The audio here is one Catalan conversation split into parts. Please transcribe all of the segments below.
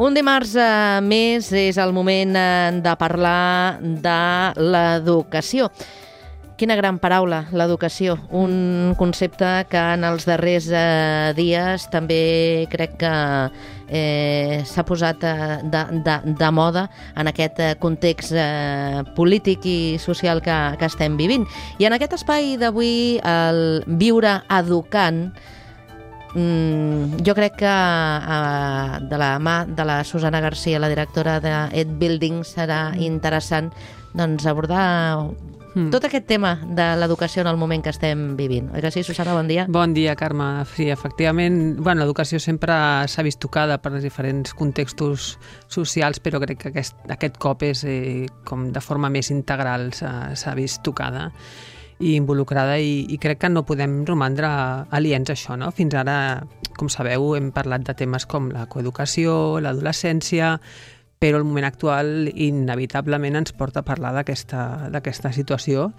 Un dimarts més és el moment de parlar de l'educació. Quina gran paraula, l'educació. Un concepte que en els darrers dies també crec que s'ha posat de moda en aquest context polític i social que estem vivint. I en aquest espai d'avui, el Viure Educant, jo crec que de la mà de la Susana Garcia, la directora d'EdBuilding, serà interessant abordar tot aquest tema de l'educació en el moment que estem vivint. Oi que sí, Susana? Bon dia. Bon dia, Carme. Sí, efectivament, l'educació sempre s'ha vist tocada per els diferents contextos socials, però crec que aquest cop és com de forma més integral s'ha vist tocada i involucrada, i crec que no podem romandre aliens a això, no? Fins ara, com sabeu, hem parlat de temes com la coeducació, l'adolescència, però el moment actual inevitablement ens porta a parlar d'aquesta situació,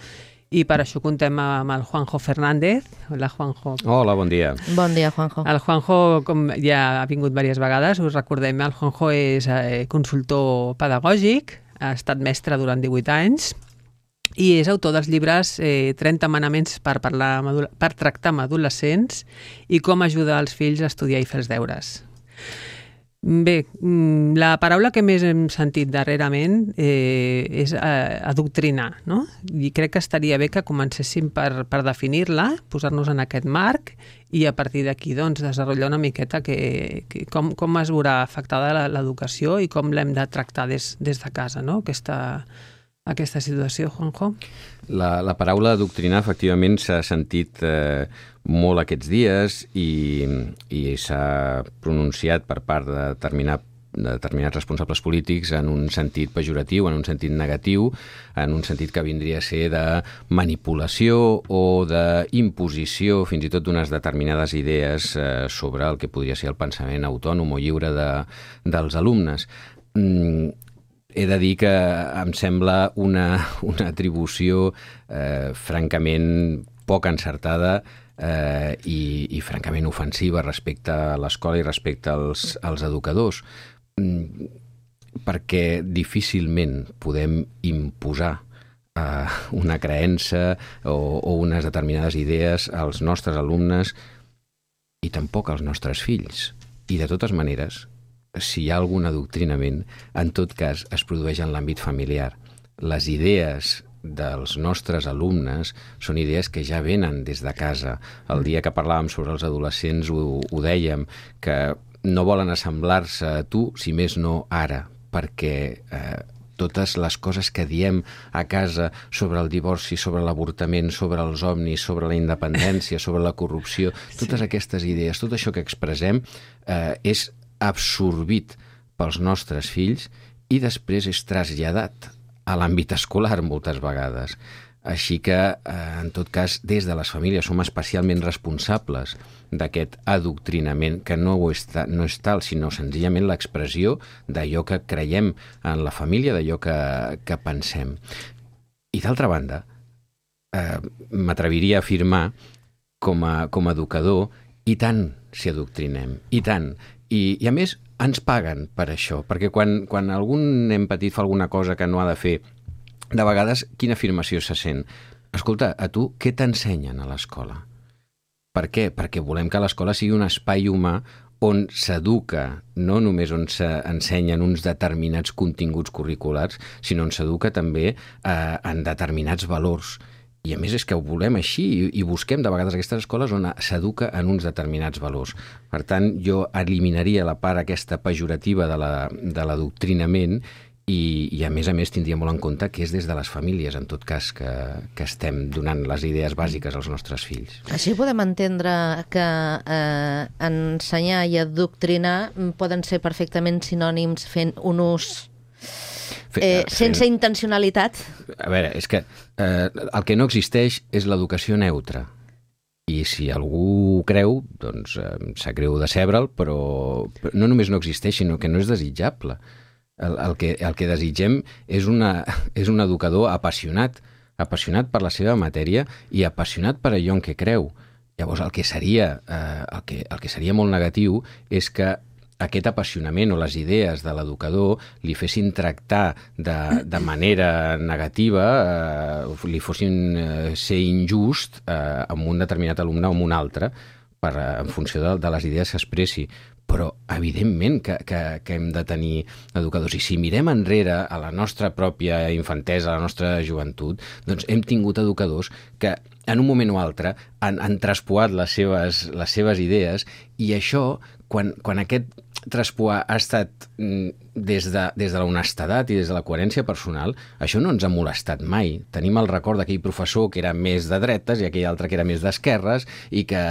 i per això contem amb el Juanjo Fernández. Hola, Juanjo. Hola, bon dia. Bon dia, Juanjo. El Juanjo, com ja ha vingut diverses vegades, us recordem, el Juanjo és consultor pedagògic, ha estat mestre durant 18 anys, i és autor dels llibres 30 manaments per tractar amb adolescents i com ajudar els fills a estudiar i fer els deures. Bé, la paraula que més hem sentit darrerament és adoctrinar, no? I crec que estaria bé que comencéssim per definir-la, posar-nos en aquest marc, i a partir d'aquí desenvolupar una miqueta com es veurà afectada l'educació i com l'hem de tractar des de casa, no? Aquesta situació, Juanjo? La paraula adoctrinar efectivament s'ha sentit molt aquests dies i s'ha pronunciat per part de determinats responsables polítics en un sentit pejoratiu, en un sentit negatiu, en un sentit que vindria a ser de manipulació o d'imposició fins i tot d'unes determinades idees sobre el que podria ser el pensament autònom o lliure dels alumnes. He de dir que em sembla una atribució francament poc encertada i francament ofensiva respecte a l'escola i respecte als educadors, perquè difícilment podem imposar una creença o unes determinades idees als nostres alumnes i tampoc als nostres fills. I de totes maneres, si hi ha algun adoctrinament, en tot cas es produeix en l'àmbit familiar. Les idees dels nostres alumnes són idees que ja venen des de casa. El dia que parlàvem sobre els adolescents ho dèiem, que no volen assemblar-se a tu, si més no ara, perquè totes les coses que diem a casa sobre el divorci, sobre l'avortament, sobre els ovnis, sobre la independència, sobre la corrupció, totes aquestes idees, tot això que expressem és absorbit pels nostres fills i després és traslladat a l'àmbit escolar moltes vegades. Així que, en tot cas, des de les famílies som especialment responsables d'aquest adoctrinament, que no és tal, sinó senzillament l'expressió d'allò que creiem en la família, d'allò que pensem. I d'altra banda, m'atreviria a afirmar com a educador, i tant si adoctrinem, i tant. I a més, ens paguen per això, perquè quan algun nen petit fa alguna cosa que no ha de fer, de vegades, quina afirmació se sent? Escolta, a tu què t'ensenyen a l'escola? Per què? Perquè volem que l'escola sigui un espai humà on s'educa, no només on s'ensenyen uns determinats continguts curriculars, sinó on s'educa també en determinats valors. I a més és que ho volem així i busquem de vegades aquestes escoles on s'educa en uns determinats valors. Per tant, jo eliminaria la part aquesta pejorativa de l'adoctrinament i a més tindria molt en compte que és des de les famílies, en tot cas, que estem donant les idees bàsiques als nostres fills. Així podem entendre que ensenyar i adoctrinar poden ser perfectament sinònims fent un ús sense intencionalitat. A veure, és que el que no existeix és l'educació neutra. I si algú ho creu, doncs sap greu decebre'l, però no només no existeix, sinó que no és desitjable. El que desitgem és un educador apassionat per la seva matèria i apassionat per allò en què creu. Llavors, el que seria molt negatiu és que aquest apassionament o les idees de l'educador li fessin tractar de manera negativa, li fossin ser injust amb un determinat alumne o amb un altre, en funció de les idees que expressi. Però, evidentment, que hem de tenir educadors. I si mirem enrere a la nostra pròpia infantesa, a la nostra joventut, doncs hem tingut educadors que en un moment o altre han traspoat les seves idees, i això, quan aquest traspoar ha estat des de l'honestedat i des de la coherència personal, això no ens ha molestat mai. Tenim el record d'aquell professor que era més de dretes i aquell altre que era més d'esquerres, i que,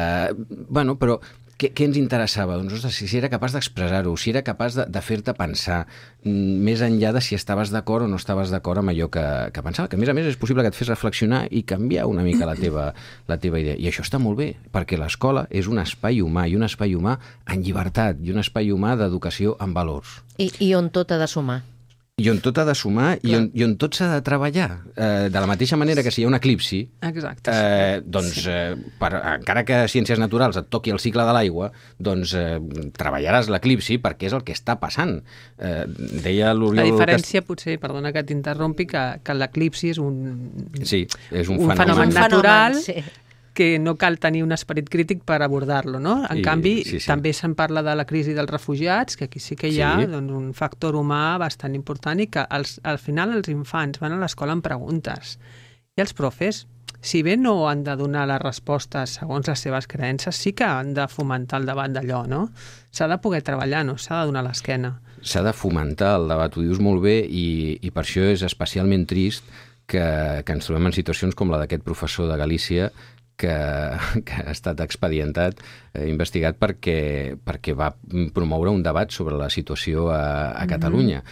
bueno, però què ens interessava? Doncs, ostres, si era capaç d'expressar-ho, si era capaç de fer-te pensar, més enllà de si estaves d'acord o no estaves d'acord amb allò que pensava, que a més és possible que et fes reflexionar i canviar una mica la teva idea. I això està molt bé, perquè l'escola és un espai humà, i un espai humà en llibertat, i un espai humà d'educació amb valors. I on tot ha de sumar. I on tot ha de sumar, i on tot s'ha de treballar. De la mateixa manera que si hi ha un eclipsi, doncs, encara que a Ciències Naturals et toqui el cicle de l'aigua, doncs treballaràs l'eclipsi perquè és el que està passant. Deia l'Oriol... La diferència, potser, perdona que t'interrompi, que l'eclipsi és un fenomen natural, que no cal tenir un esperit crític per abordar-lo, no? En canvi, també se'n parla de la crisi dels refugiats, que aquí sí que hi ha un factor humà bastant important, i que al final els infants van a l'escola amb preguntes. I els profes, si bé no han de donar les respostes segons les seves creences, sí que han de fomentar el debat d'allò, no? S'ha de poder treballar, no? S'ha de donar l'esquena. S'ha de fomentar el debat, ho dius molt bé, i per això és especialment trist que ens trobem en situacions com la d'aquest professor de Galícia, que ha estat expedientat, investigat perquè va promoure un debat sobre la situació a Catalunya.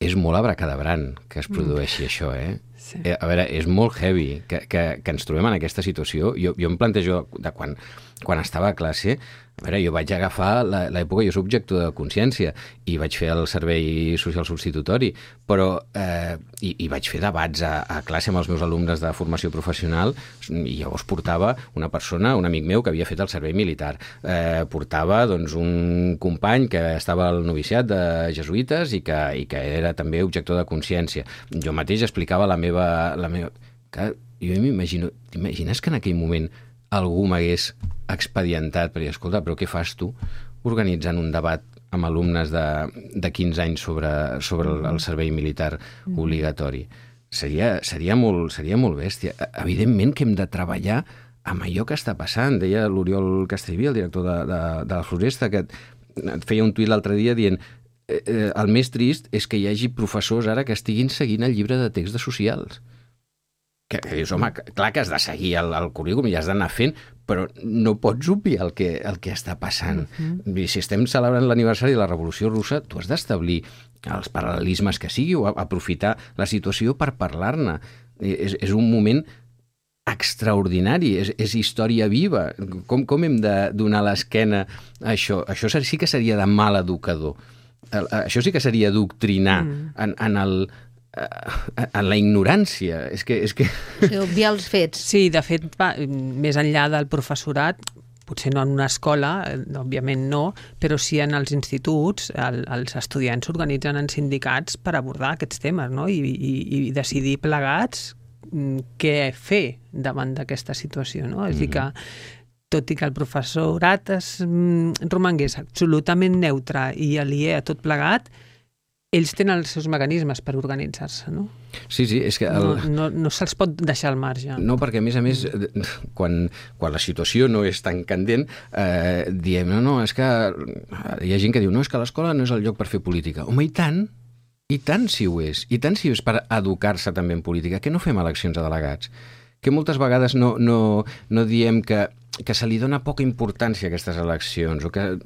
És molt abracadabrant que es produeixi això, eh? Sí. A veure, és molt heavy que ens trobem en aquesta situació. Jo em plantejo de quan estava a classe, a veure, jo vaig agafar l'època, jo soc objector de consciència, i vaig fer el servei social substitutori, però i vaig fer debats a classe amb els meus alumnes de formació professional, i llavors portava una persona, un amic meu que havia fet el servei militar, portava doncs un company que estava al noviciat de jesuïtes i que era també objector de consciència. Jo mateix explicava la meva... Jo m'imagino, t'imagines que en aquell moment algú m'hagués expedientat per dir, escolta, però què fas tu organitzant un debat amb alumnes de 15 anys sobre el servei militar obligatori? Seria molt bèstia. Evidentment que hem de treballar amb allò que està passant. Deia l'Oriol Castellví, el director de la Floresta, que feia un tuit l'altre dia dient el més trist és que hi hagi professors ara que estiguin seguint el llibre de text de socials. Que dius, home, clar que has de seguir el currículum i has d'anar fent, però no pots obviar el que està passant. I si estem celebrant l'aniversari de la Revolució Russa, tu has d'establir els paral·lelismes que sigui o aprofitar la situació per parlar-ne. És un moment extraordinari, és història viva. Com hem de donar l'esquena a això? Això sí que seria de mal educador. Això sí que seria doctrinar en la ignorància. És que... Obviar els fets. Sí, de fet, més enllà del professorat, potser no en una escola, òbviament no, però sí en els instituts, els estudiants s'organitzen en sindicats per abordar aquests temes, no? I decidir plegats què fer davant d'aquesta situació, no? És a dir que tot i que el professorat romangués absolutament neutre i aliè a tot plegat, ells tenen els seus mecanismes per organitzar-se, no? Sí, és que... No se'ls pot deixar al marge. No, perquè a més, quan la situació no és tan candent, diem, no, és que... Hi ha gent que diu, no, és que l'escola no és el lloc per fer política. Home, i tant si ho és. I tant si és per educar-se també en política. Que no fem eleccions a delegats? Que moltes vegades no diem que se li dona poca importància a aquestes eleccions, o que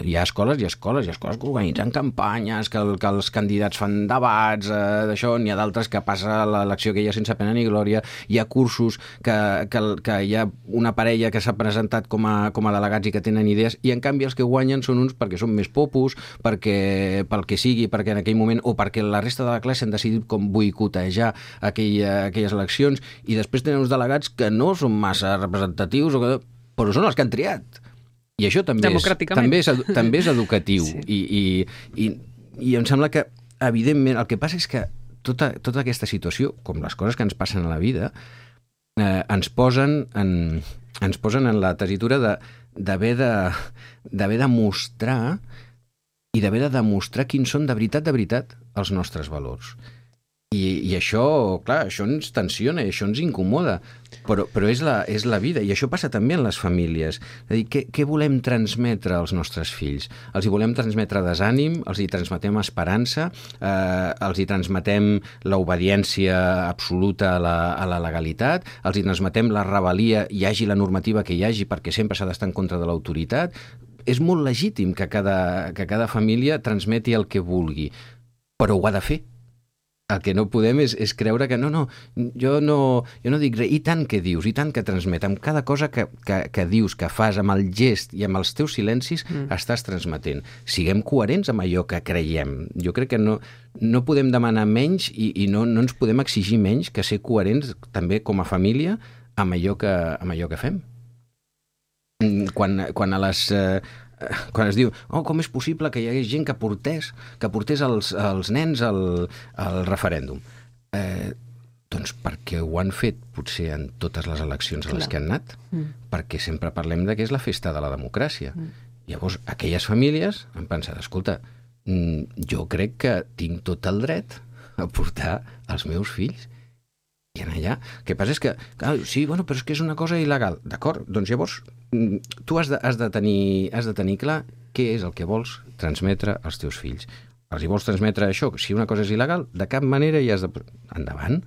hi ha escoles que organitzen campanyes, que els candidats fan debats d'això, n'hi ha d'altres que passa l'elecció aquella sense pena ni glòria, hi ha cursos que hi ha una parella que s'ha presentat com a delegats i que tenen idees, i en canvi els que guanyen són uns perquè són més popus, pel que sigui, perquè en aquell moment, o perquè la resta de la classe han decidit com boicotejar aquelles eleccions, i després tenen uns delegats que no són massa representatius, però són els que han triat. I això també és educatiu. Sí. I em sembla que, evidentment, el que passa és que tota aquesta situació, com les coses que ens passen a la vida, ens posen en la tessitura d'haver de mostrar i d'haver de demostrar quins són de veritat els nostres valors. I això, clar, això ens tensiona i això ens incomoda, però és la vida, i això passa també en les famílies. És a dir, què volem transmetre als nostres fills? Els hi volem transmetre desànim, els hi transmetem esperança, els hi transmetem l'obediència absoluta a la legalitat, els hi transmetem la rebel·lia, hi hagi la normativa que hi hagi, perquè sempre s'ha d'estar en contra de l'autoritat. És molt legítim que cada família transmeti el que vulgui, però ho ha de fer. El que no podem és creure que jo no dic res, i tant que dius, i tant que transmet, amb cada cosa que dius, que fas, amb el gest i amb els teus silencis, estàs transmetent. Siguem coherents amb allò que creiem. Jo crec que no podem demanar menys i no ens podem exigir menys que ser coherents també com a família amb allò que fem. Quan es diu, com és possible que hi hagués gent que portés els nens al referèndum? Doncs perquè ho han fet potser en totes les eleccions a les que han anat, perquè sempre parlem que és la festa de la democràcia. Llavors, aquelles famílies han pensat, escolta, jo crec que tinc tot el dret a portar els meus fills i anar allà. El que passa és que, clar, sí, però és que és una cosa il·legal. D'acord, doncs llavors tu has de tenir clar què és el que vols transmetre als teus fills. Els hi vols transmetre això? Si una cosa és il·legal, de cap manera hi has de... Endavant.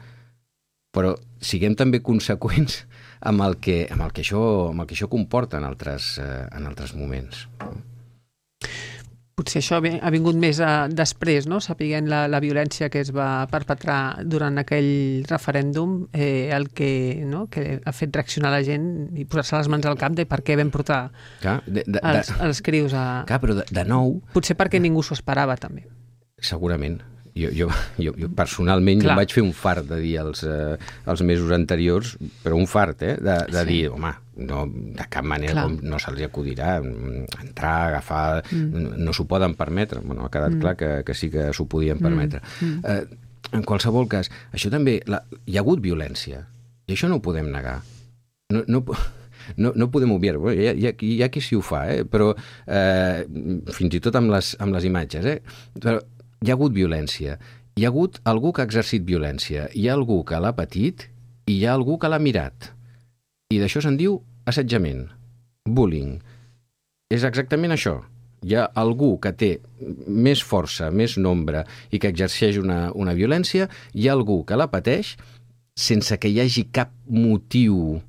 Però siguem també conseqüents amb el que això comporta en altres moments. Potser això ha vingut més després, no? Sapiguent la violència que es va perpetrar durant aquell referèndum, el que ha fet reaccionar la gent i posar-se les mans al cap de per què vam portar els crius a... Clar, però de nou... Potser perquè ningú s'ho esperava, també. Segurament. Jo personalment jo em vaig fer un fart de dir els mesos anteriors, però un fart, de dir, home, no, de cap manera no se'ls acudirà entrar, agafar, no s'ho poden permetre. Bueno, ha quedat clar que sí que s'ho podien permetre. En qualsevol cas, això també, hi ha hagut violència, i això no ho podem negar. No podem obviar, hi ha qui sí ho fa, però fins i tot amb les imatges, però hi ha hagut violència, hi ha hagut algú que ha exercit violència, hi ha algú que l'ha patit i hi ha algú que l'ha mirat. I d'això se'n diu assetjament, bullying. És exactament això. Hi ha algú que té més força, més nombre i que exerceix una violència, hi ha algú que la pateix sense que hi hagi cap motiu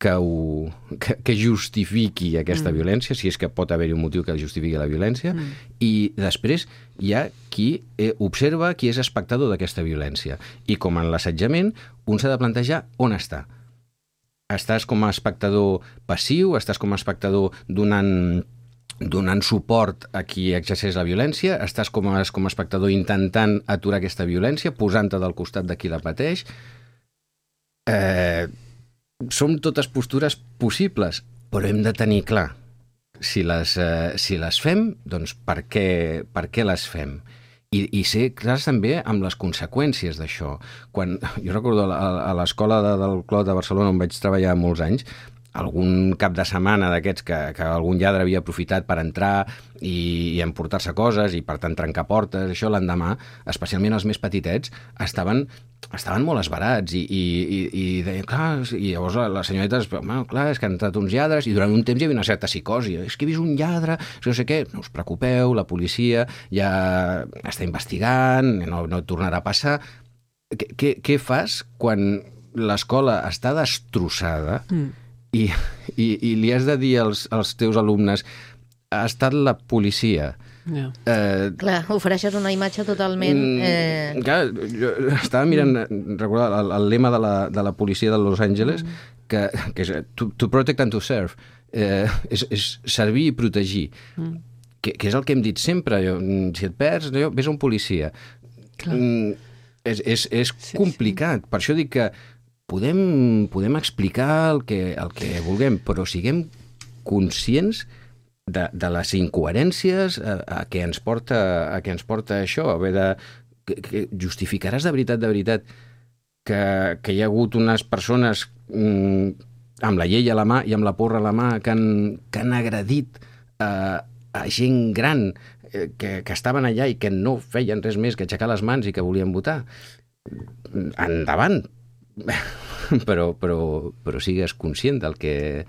que justifiqui aquesta violència, si és que pot haver-hi un motiu que justifiqui la violència, i després hi ha qui observa, qui és espectador d'aquesta violència. I com en l'assetjament, un s'ha de plantejar on està. Estàs com a espectador passiu, estàs com a espectador donant suport a qui exerceix la violència, estàs com a espectador intentant aturar aquesta violència, posant-te del costat de qui la pateix. Som totes postures possibles, però hem de tenir clar si les fem, doncs per què les fem? I ser clars també amb les conseqüències d'això. Jo recordo a l'escola del Clot de Barcelona, on vaig treballar molts anys, algun cap de setmana d'aquests que algun lladre havia aprofitat per entrar i emportar-se coses i per tant trencar portes, això l'endemà, especialment els més petitets, estaven molt esverats i deien, clar, i llavors la senyoreta, clar, és que han entrat uns lladres i durant un temps hi havia una certa psicosi, és que he vist un lladre, no sé què, no us preocupeu, la policia ja està investigant, no tornarà a passar. Què fas quan l'escola està destrossada i li has de dir als teus alumnes ha estat la policia? Clar, ofereixes una imatge totalment... Clar, jo estava mirant, recordar el lema de la policia de Los Angeles, que és to protect and to serve, és servir i protegir, que és el que hem dit sempre. Si et perds, ves a un policia. És complicat, per això dic que podem explicar el que vulguem, però siguem conscients de les incoherències a què ens porta això, haver de... Que justificaràs de veritat, que hi ha hagut unes persones amb la llei a la mà i amb la porra a la mà que han agredit a gent gran que estaven allà i que no feien res més que aixecar les mans i que volien votar. Endavant! Però sigues conscient del que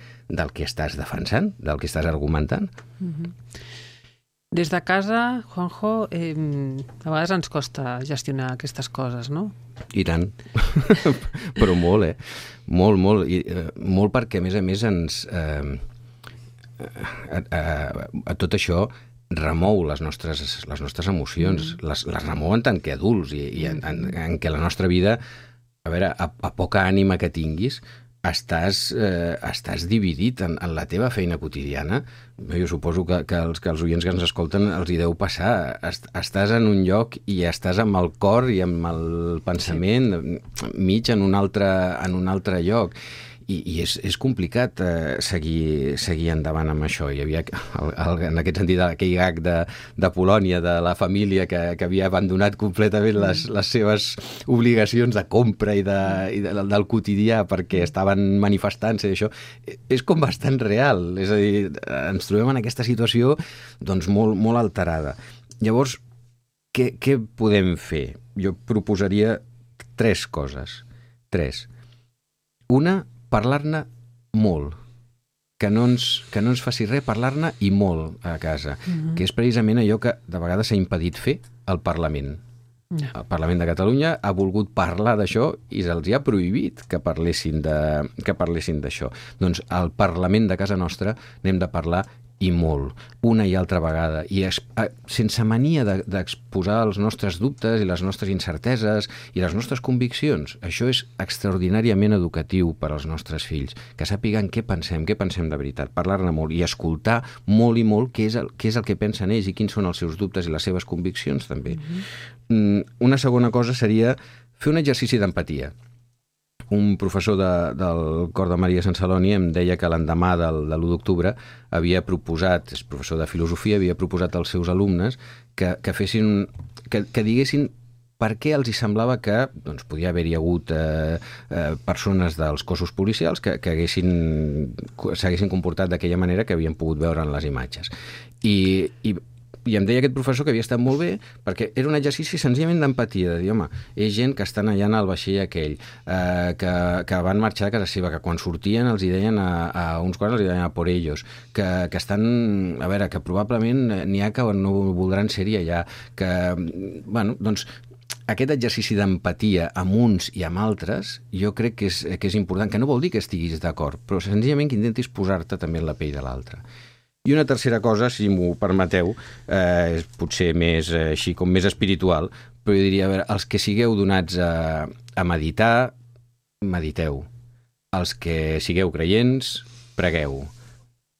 estàs defensant, del que estàs argumentant. Des de casa, Juanjo, a vegades ens costa gestionar aquestes coses, no? I tant. Però molt, Molt, molt. Molt perquè, a més, ens... a tot això remou les nostres emocions, les remou en tant que adults i en què la nostra vida, a veure, a poca ànima que tinguis, estàs dividit en la teva feina quotidiana. Jo suposo que els oients que ens escolten els hi deu passar. Estàs en un lloc i estàs amb el cor i amb el pensament mig en un altre lloc. I és complicat seguir endavant amb això. Hi havia, en aquest sentit, aquell gag de Polònia, de la família que havia abandonat completament les seves obligacions de compra i del quotidià perquè estaven manifestant-se i això. És com bastant real. És a dir, ens trobem en aquesta situació doncs, molt, molt alterada. Llavors, què podem fer? Jo proposaria 3 coses. 3. Una, parlar-ne molt, que no ens faci res parlar-ne i molt a casa, que és precisament allò que de vegades s'ha impedit fer al Parlament. El Parlament de Catalunya ha volgut parlar d'això i se'ls ha prohibit que parlessin d'això. Doncs al Parlament de casa nostra n'hem de parlar i molt, una i altra vegada, i sense mania d'exposar els nostres dubtes i les nostres incerteses i les nostres conviccions. Això és extraordinàriament educatiu per als nostres fills, que sàpiguen què pensem de veritat, parlar-ne molt i escoltar molt i molt què és el que pensen ells i quins són els seus dubtes i les seves conviccions també. Una segona cosa seria fer un exercici d'empatia. Un professor del Cor de Maria Sant Celoni em deia que l'endemà de l'1 d'octubre havia proposat, és professor de filosofia, havia proposat als seus alumnes que diguessin per què els hi semblava que doncs, podia haver-hi hagut persones dels cossos policials que s'haguessin comportat d'aquella manera que havien pogut veure en les imatges. I em deia aquest professor que havia estat molt bé perquè era un exercici senzillament d'empatia, de dir, home, és gent que estan allà en el vaixell aquell, que van marxar de casa seva, que quan sortien els hi deien a uns quants els hi deien a por ellos, que estan, a veure, que probablement n'hi ha que no voldran ser-hi allà, que, bueno, doncs, aquest exercici d'empatia amb uns i amb altres, jo crec que és important, que no vol dir que estiguis d'acord, però senzillament que intentis posar-te també en la pell de l'altre. I una tercera cosa, si m'ho permeteu, és potser més així com més espiritual, però jo diria, a veure, els que sigueu donats a meditar, mediteu. Els que sigueu creients, pregueu.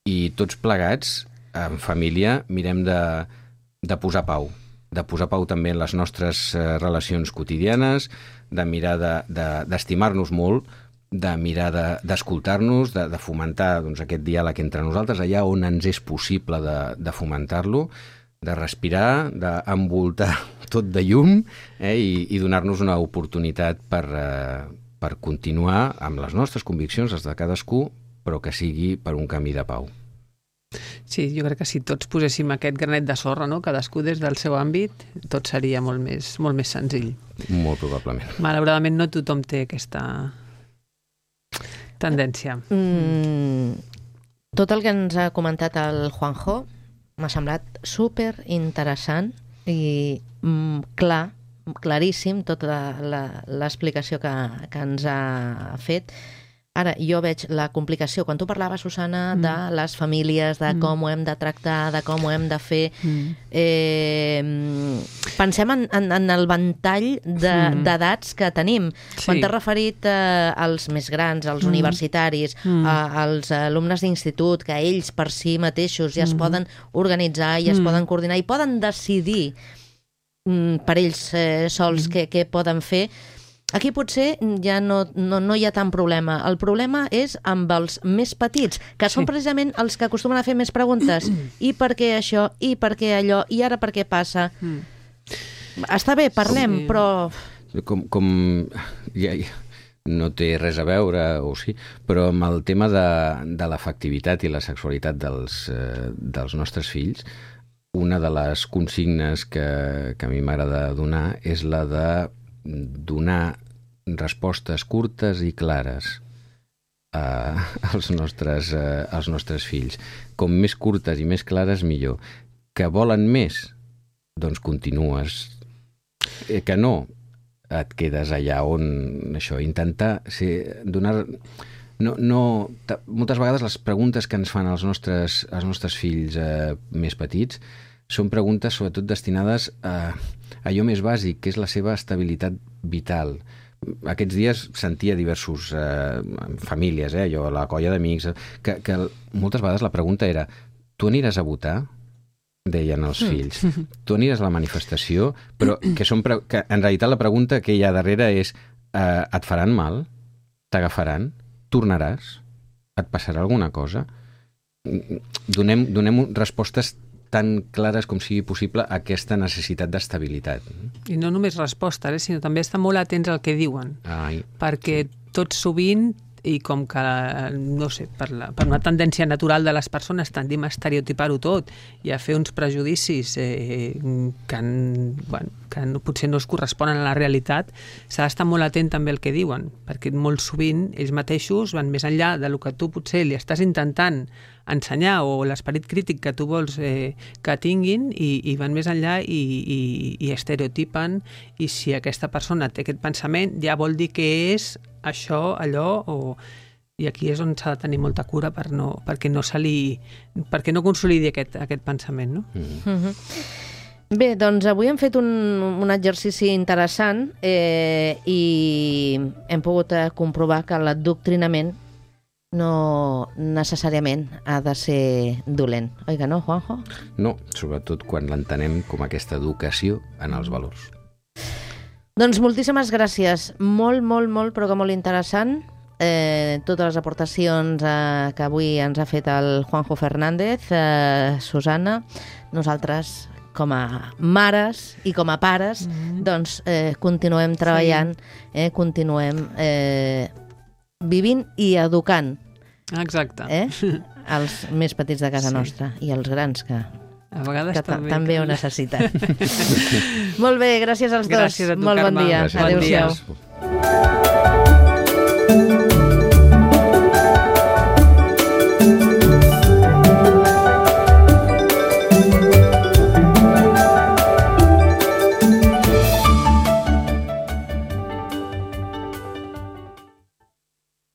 I tots plegats, en família, mirem de posar pau. De posar pau també en les nostres relacions quotidianes, de mirar d'estimar-nos molt, de mirar d'escoltar-nos, de fomentar doncs, aquest diàleg entre nosaltres, allà on ens és possible de fomentar-lo, de respirar, d'envoltar tot de llum i donar-nos una oportunitat per continuar amb les nostres conviccions, les de cadascú, però que sigui per un camí de pau. Sí, jo crec que si tots poséssim aquest granet de sorra, no? Cadascú des del seu àmbit, tot seria molt més senzill. Molt probablement. Malauradament no tothom té aquesta tendència. Tot el que ens ha comentat el Juanjo m'ha semblat super interessant i claríssim tota l'explicació que ens ha fet. Ara, jo veig la complicació, quan tu parlaves, Susana, de les famílies, de com ho hem de tractar, de com ho hem de fer. Pensem en el ventall d'edats que tenim. Sí. Quan t'has referit als més grans, als universitaris, als alumnes d'institut, que ells per si mateixos ja es poden organitzar i es poden coordinar i poden decidir per ells sols què poden fer. Aquí potser ja no hi ha tant problema. El problema és amb els més petits, que són precisament els que acostumen a fer més preguntes. I per què això? I per què allò? I ara per què passa? Està bé, parlem, però... No té res a veure, o sí, però amb el tema de l'afectivitat i la sexualitat dels nostres fills, una de les consignes que a mi m'agrada donar és la de donar respostes curtes i clares als nostres fills. Com més curtes i més clares, millor. Que volen més? Doncs continues. Que no, et quedes allà on això, intentar donar... moltes vegades les preguntes que ens fan els nostres fills més petits són preguntes sobretot destinades a allò més bàsic, que és la seva estabilitat vital. Aquests dies sentia diversos famílies, allò, la colla d'amics, que moltes vegades la pregunta era: tu aniràs a votar? Deien els fills. Tu aniràs a la manifestació? Però que en realitat la pregunta que hi ha darrere és: et faran mal? T'agafaran? Tornaràs? Et passarà alguna cosa? Donem respostes tan clares com sigui possible a aquesta necessitat d'estabilitat. I no només respostes, sinó també estar molt atents al que diuen. Perquè tot sovint, i com que, no sé, per una tendència natural de les persones tendim a estereotipar-ho tot i a fer uns prejudicis que potser no es corresponen a la realitat, s'ha d'estar molt atent també al que diuen, perquè molt sovint ells mateixos van més enllà del que tu potser li estàs intentant ensenyar o l'esperit crític que tu vols que tinguin, i van més enllà i estereotipen, i si aquesta persona té aquest pensament ja vol dir que és això, allò, i aquí és on s'ha de tenir molta cura perquè no consolidi aquest pensament, no? Bé, doncs avui hem fet un exercici interessant i hem pogut comprovar que l'adoctrinament no necessàriament ha de ser dolent. Oi que no, Juanjo? No, sobretot quan l'entenem com aquesta educació en els valors. Doncs moltíssimes gràcies. Molt, molt, molt, però que molt interessant. Totes les aportacions que avui ens ha fet el Juanjo Fernández, Susana, nosaltres com a mares i com a pares, doncs continuem treballant, continuem vivint i educant. Exacte. Els més petits de casa nostra i els grans que a vegades també ho necessiten. Molt bé, gràcies als dos. Gràcies a tu, molt Carme. bon dia. Adéu-siau. Bon dia.